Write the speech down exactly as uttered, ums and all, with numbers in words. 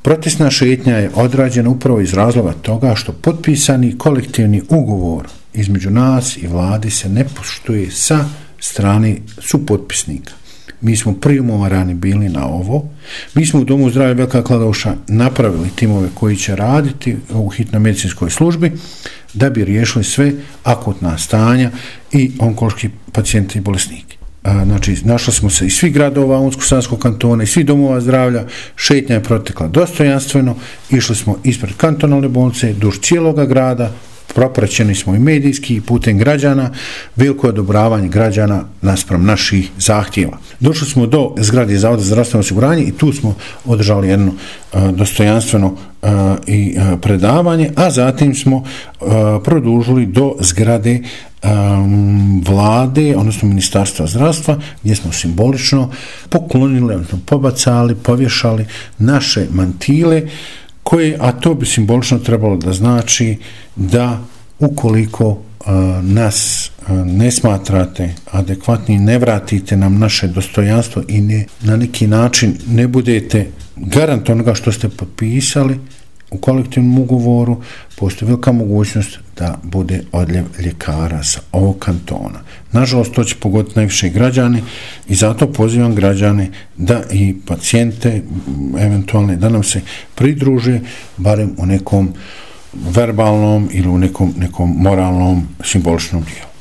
Protestna šetnja je odrađena upravo iz razloga toga što potpisani kolektivni ugovor između nas i vlade se ne poštuje sa strane supotpisnika. Mi smo primovarani bili na ovo. Mi smo u Domu zdravlja Velika Kladuša napravili timove koji će raditi u hitnoj medicinskoj službi da bi riješili sve akutna stanja i onkološki pacijenti i bolesniki. Znači, našli smo se iz svih gradova Unsko-sanskog kantona i svih domova zdravlja, šetnja je protekla dostojanstveno, išli smo ispred kantonalne bolnice, duž cijeloga grada, propraćeni smo i medijski i putem građana, veliko odobravanje građana naspram naših zahtjeva. Došli smo do zgrade Zavoda za zdravstveno osiguranje i tu smo održali jedno uh, dostojanstveno uh, i uh, predavanje, a zatim smo uh, produžili do zgrade um, vlade, odnosno Ministarstva zdravstva, gdje smo simbolično poklonili, odnosno pobacali, povješali naše mantile, koje, a to bi simbolično trebalo da znači da ukoliko uh, nas uh, ne smatrate adekvatni, ne vratite nam naše dostojanstvo i ne, na neki način ne budete garant onoga što ste potpisali u kolektivnom ugovoru, postoji velika mogućnost da bude odljev ljekara sa ovog kantona. Nažalost, to će pogoditi najviše građani i zato pozivam građane da i pacijente eventualne da nam se pridruže barem u nekom verbalnom ili u nekom, nekom moralnom simboličnom dijelu.